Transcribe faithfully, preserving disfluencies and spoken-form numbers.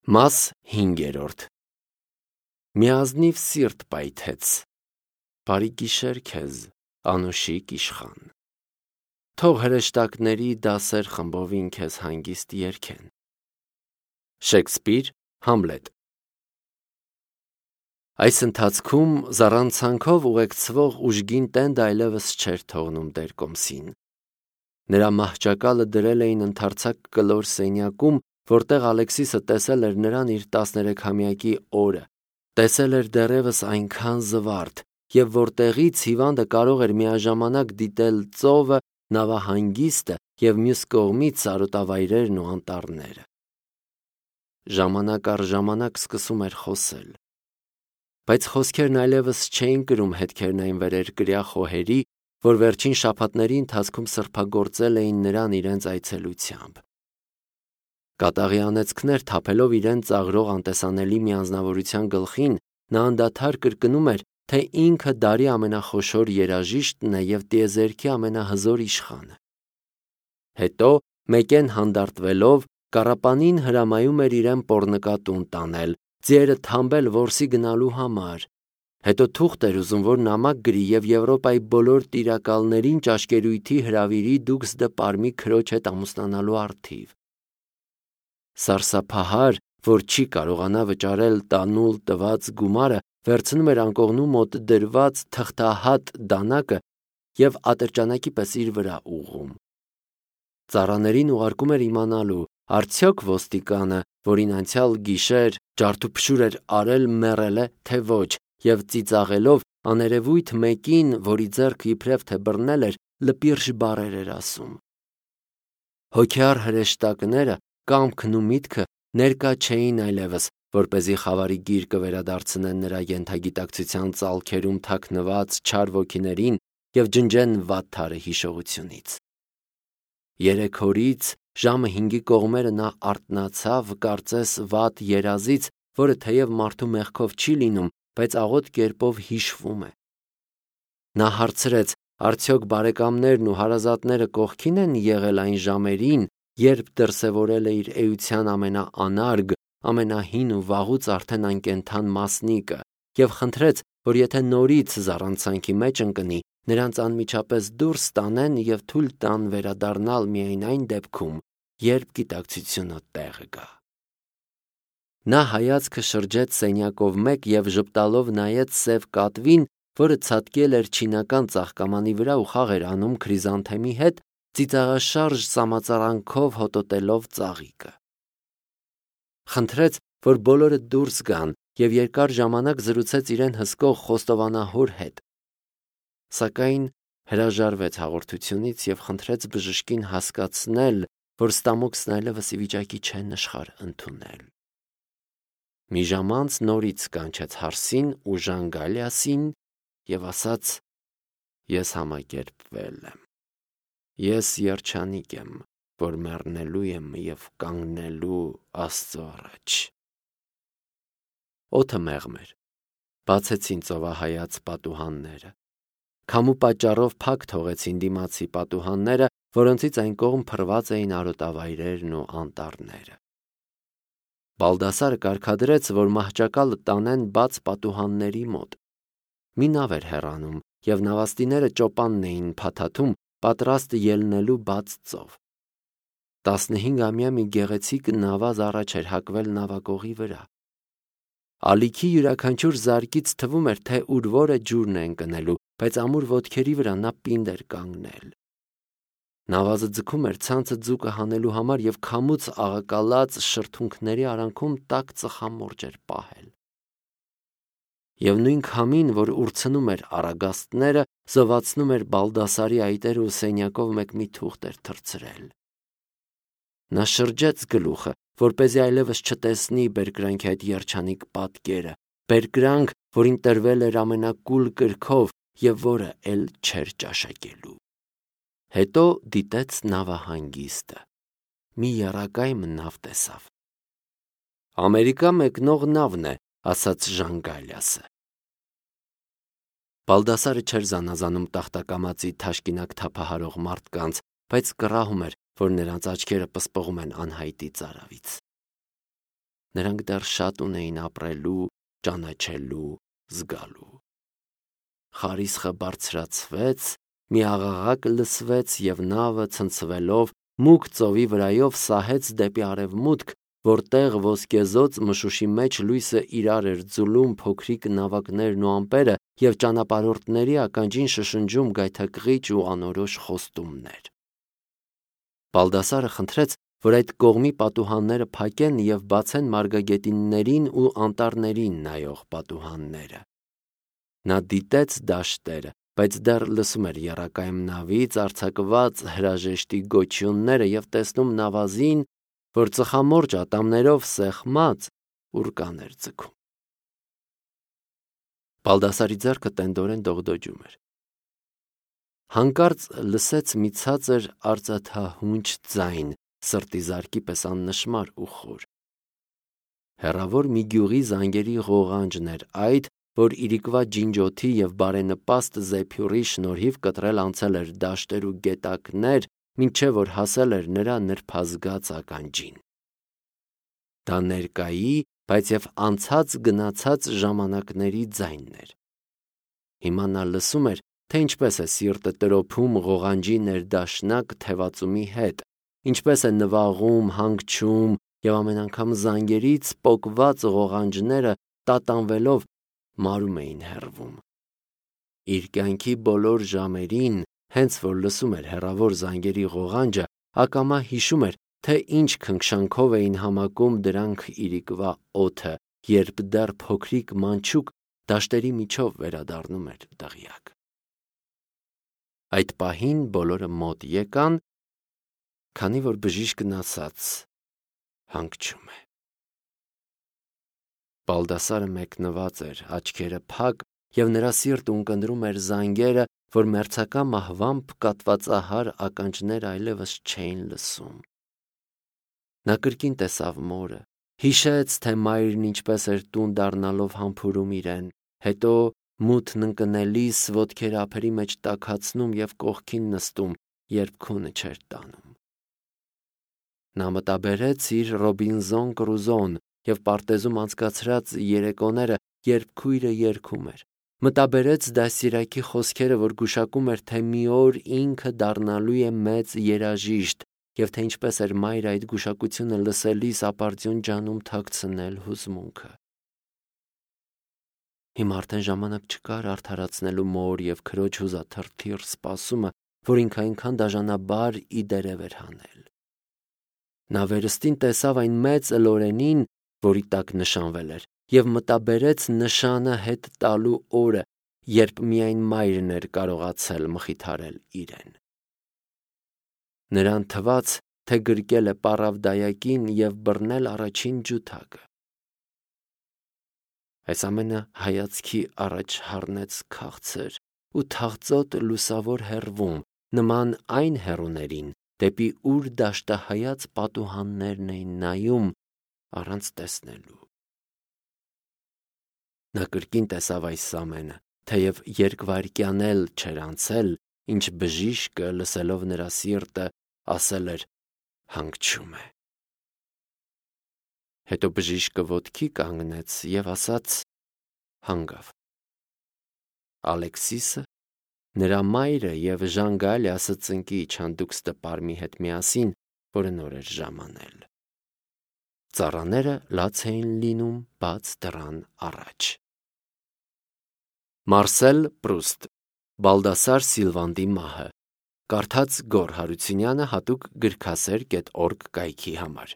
Մաս հինգերորդ Մի ազնիվ սիրտ պայթեց, բարի գիշեր քեզ, անուշիկ իշխան, թող հրեշտակների դասեր խմբովին քեզ հանգիստ երգեն։ Շեքսպիր, Համլետ Այս ընթացքում զառանցանքով ուղեկցվող ուժգին տենդը այլևս չէր թողնում տեր Կոմսին։ Նրա մահճակալը դրել էին ընդարձակ կլոր սենյակում, որտեղ Ալեքսիսը տեսել էր նրան իր տասներեքամյակի օրը, տեսել էր դեռևս այնքան զվարթ, և որտեղից հիվանդը կարող էր միաժամանակ դիտել ծովը, նավահանգիստը և մյուս կողմից սարոտավայրերն ու անտառները։ Ժամանակ առ ժամանակ սկսում էր խոսել, բայց խոսքերն այլևս չէին կրում հետքերն այն վերերկրյա խոհերի, որ վերջին շաբաթների ընթացքում սրբագործել էին նրան իրենց այցելությամբ։ Կատաղի անեծքներ թափելով իրեն ծաղրող անտեսանելի մի անձնավորության գլխին, նա անդադար կրկնում էր, թե ինքը դարի ամենախոշոր երաժիշտն է և տիեզերքի ամենահզոր իշխանը։ Հետո, մեկեն հանդարտվելով, կառապանին հրամայում էր իրեն պոռնկա տուն տանել, ձիերը թամբել որսի գնալու համար, հետո թուղթ էր ուզում, որ նամակ գրի և Եվրոպայի բոլոր տիրակալներին ճաշկերույթի հրավիրի դուքս դը պարմի քրոջ հետ ամուսնանալու առթիվ։ Սարսափահար, որ չի կարողանա վճարել տանուլ տված գումարը, վերցնում էր անկողնու մոտ դրված թղթահատ դանակը և ատրճանակի պես իր վրա ուղղում։ Ծառաներին ուղարկում էր իմանալու, արդյոք ոստիկանը, որին անցյալ գիշեր ջարդուփշուր էր արել, մեռել է, թե ոչ, և ծիծաղելով աներևույթ մեկին, որի ձեռքը իբրև թե բռնել էր, լպիրշ բառեր էր ասում։ Հոգեառ հրեշտակները, կամքն ու միտքը ներկա չէին այլևս, որպեսզի խավարի գիրկը վերադարձնեն նրա ենթագիտակցության ծալքերում թաքնված չար ոգիներին և ջնջեն վատթարը հիշողությունից։ Երեք օրից ժամը հինգի կողմերը նա արթնացավ, կարծես վատ երազից, որը թեև մարդու մեղքով չի լինում, բայց աղոտ կերպով հիշվում է։ Նա հարցրեց, արդյոք բարեկամներն ու հարազատները կողքին են եղել այն ժամերին, երբ դրսևորել է իր էության ամենաանարգ, ամենահին ու վաղուց արդեն անկենդան մասնիկը, և խնդրեց, որ եթե նորից զառանցանքի մեջ ընկնի, նրանց անմիջապես դուրս տանեն և թույլ տան վերադառնալ միայն այն դեպքում, երբ գիտակցությունը տեղը գա։ Նա հայացքը շրջեց սենյակով մեկ և ժպտալով նայեց սև կատվին, որը ցատկել էր չինական ծաղկամանի վրա ու խաղ էր անում քրիզանթեմի հետ, ծիծաղաշարժ սամածարանքով հոտոտելով ծաղիկը։ Խնդրեց, որ բոլորը դուրս գան և երկար ժամանակ զրուցեց իրեն հսկող խոստովանահոր հետ, սակայն հրաժարվեց հաղորդությունից և խնդրեց բժշկին հասկացնել, որ ստամոքսն այլևս ի վիճակի չէ նշխար ընդունել։ Մի ժամ անց նորից կանչեց Հարսին ու Ժան Գալիասին և ասաց. «Ես համակերպվել եմ, ես երջանիկ եմ, որ մեռնելու եմ և կանգնելու Աստծո առաջ»։ Օդը մեղմ էր, բացեցին ծովահայաց պատուհանները, քամու պատճառով փակ թողեցին դիմացի պատուհանները, որոնցից այն կողմ փռված էին արոտավայրերն ու անտառները։ Բալդասարը կարգադրեց, որ մահճակալը տանեն բաց պատուհանների մոտ։ Մի նավ էր հեռանում, և նավաստիները ճոպանն էին փաթաթում, պատրաստ ելնելու բաց ծով։ Տասնհինգամյա մի գեղեցիկ նավազ առաջ էր հակվել նավակողի վրա։ Ալիքի յուրաքանչյուր զարկից թվում էր, թե ուր որը ջուրն է ընկնելու, բայց ամուր ոտքերի վրա նա պինդ էր կանգնել։ Նավազը ձգում էր ցանցը ձուկը հանելու համար և քամուց աղակալած շրթունքների արանքում տաք ծխամորճ էր պահել։ Եվ նույն քամին, որ ուրցնում էր առագաստները, զովացնում էր Բալդասարի այտերը ու սենյակով մեկ մի թուղթ էր թռցրել։ Նա շրջեց գլուխը, որպեսզի այլևս չտեսնի բերկրանքի այդ երջանիկ պատկերը, բերկրանք, որին տրվել էր ամենակուլ կրքով և որը էլ չէր ճաշակելու։ Հետո դիտեց նավահանգիստը։ Մի եռակայմ նավ տեսավ։ «Ամերիկա մեկնող նավն է», ասաց Ժան Գալիասը։ Բալդասարը չէր զանազանում տախտակամածի թաշկինակ թափահարող մարդկանց, բայց կռահում էր, որ նրանց աչքերը պսպղում են անհայտի ծարավից։ Նրանք դեռ շատ ունեին ապրելու, ճանաչելու, զգալու։ Խարիսխը բարձրացվեց, մի աղաղակ լսվեց և նավը ցնցվելով մուգ ծովի վրայով սահեց դեպի արևմուտք, որտեղ ոսկեզօծ մշուշի մեջ լույսը իրար էր ձուլում փոքրիկ նավակներն ու ամպերը և ճանապարհորդների ականջին շշնջում գայթակղիչ ու անորոշ խոստումներ։ Բալդասարը խնդրեց, որ այդ կողմի պատուհանները փակեն և բացեն մարգագետիններին ու անտառներին նայող պատուհանները։ Նա դիտեց դաշտերը, բայց դեռ լսում էր եռակայմ նավից արձակված հրաժեշտի գոչյունները և տեսնում նավազին, որ ծխամորճ ատամներով սեղմած ուռկան էր ձգում։ Բալդասարի ձեռքը տենդորեն դողդոջում էր։ Հանկարծ լսեց մի ցածր արծաթահունչ ձայն, սրտի զարկի պես աննշմար ու խոր։ Հեռավոր մի գյուղի զանգերի ղողանջն էր այդ, որ իրիկվա ջինջոթի և բարենպաստ զեփյուռի շնորհիվ կտրել անցել էր դաշտեր ու գետակներ, մինչև որ հասել էր նրա նրբազգաց ականջին։ Դա ներկայի, բայց և անցած գնացած ժամանակների ձայնն էր։ Հիմա նա լսում էր, թե ինչպես է սիրտը տրոփում ղողանջի ներդաշնակ թևածումի հետ, ինչպես է նվաղում, հանգչում, և ամեն անգամ զանգերից պոկված ղողանջները տատանվելով մարում էին հեռվում։ Իր կյանքի բոլոր ժամերին, հենց որ լսում էր հեռավոր զանգերի ղողանջը, ակամա հիշում էր, թե ինչ քնքշանքով էին համակում դրանք իրիկվա օդը, երբ դեռ փոքրիկ մանչուկ դաշտերի միջով վերադառնում էր դղյակ։ Այդ պահին բոլորը մոտ եկան, քանի որ բժիշկն ասաց. հանգչում է։ Բալդասարը մեկնված էր, աչքերը փակ, և նրա սիրտը ունկնդրում էր զանգերը, որ մերձակա մահվամբ կատվածահար ականջները այլևս չէին լսում։ Նա կրկին տեսավ մորը, հիշեց, թե մայրն ինչպես էր տուն դառնալով համբուրում իրեն, հետո մութն ընկնելիս ոտքերը ափերի մեջ տաքացնում և կողքին նստում, երբ քունը չէր տանում։ Նա մտաբերեց իր Ռոբինզոն Կրուզոն և պարտեզում անցկացրած երեկոները, երբ քույրը երգում էր։ Մտաբերեց դաստիարակի խոսքերը, որ գուշակում էր, թե մի օր ինքը դառնալու է մեծ երաժիշտ, և թե ինչպես էր մայրը այդ գուշակությունը լսելիս ապարդյուն ջանում թաքցնել հուզմունքը։ Հիմա արդեն ժամանակ չկար արդարացնելու մոր և քրոջ հուզաթրթիռ սպասումը, որ ինքը այնքան դաժանաբար ի դերև էր հանել։ Նա վերստին տեսավ այն մեծ լորենին, որի տակ նշանվել էր, և մտաբերեց նշանը հետ տալու օրը, երբ միայն մայրն էր կարողացել մխիթարել իրեն։ Նրան թվաց, թե գրկել է պառավդայակին և բռնել առաջին ջութակը։ Այս ամենը հայացքի առաջ հառնեց քաղցր ու թախծոտ լուսավոր հեռվում, նման այն հեռուներին, դեպի ուր դաշտահայաց պատուհաններն էին նայում առանց տեսնելու։ Նա կրկին տեսավ այս ամենը, թեև երկվայրկյան էլ չէր անցել, ինչ բժիշկը, լսելով նրա սիրտը, ասել էր. հանգչում է։ Հետո բժիշկը ոտքի կանգնեց և ասաց. հանգավ։ Ալեքսիսը, նրա մայրը և Ժանգալիասը ծնկի իջան դուքստը պարմի հետ միասին, որը նոր էր ժամանել։ Ծառաները լաց էին լինում բաց դռան առաջ։ Մարսել Պրուստ Բալդասար Սիլվանդի մահը Կարդաց Գոռ Հարությունյանը հատուկ գրքասեր կետ օրգ կայքի համար։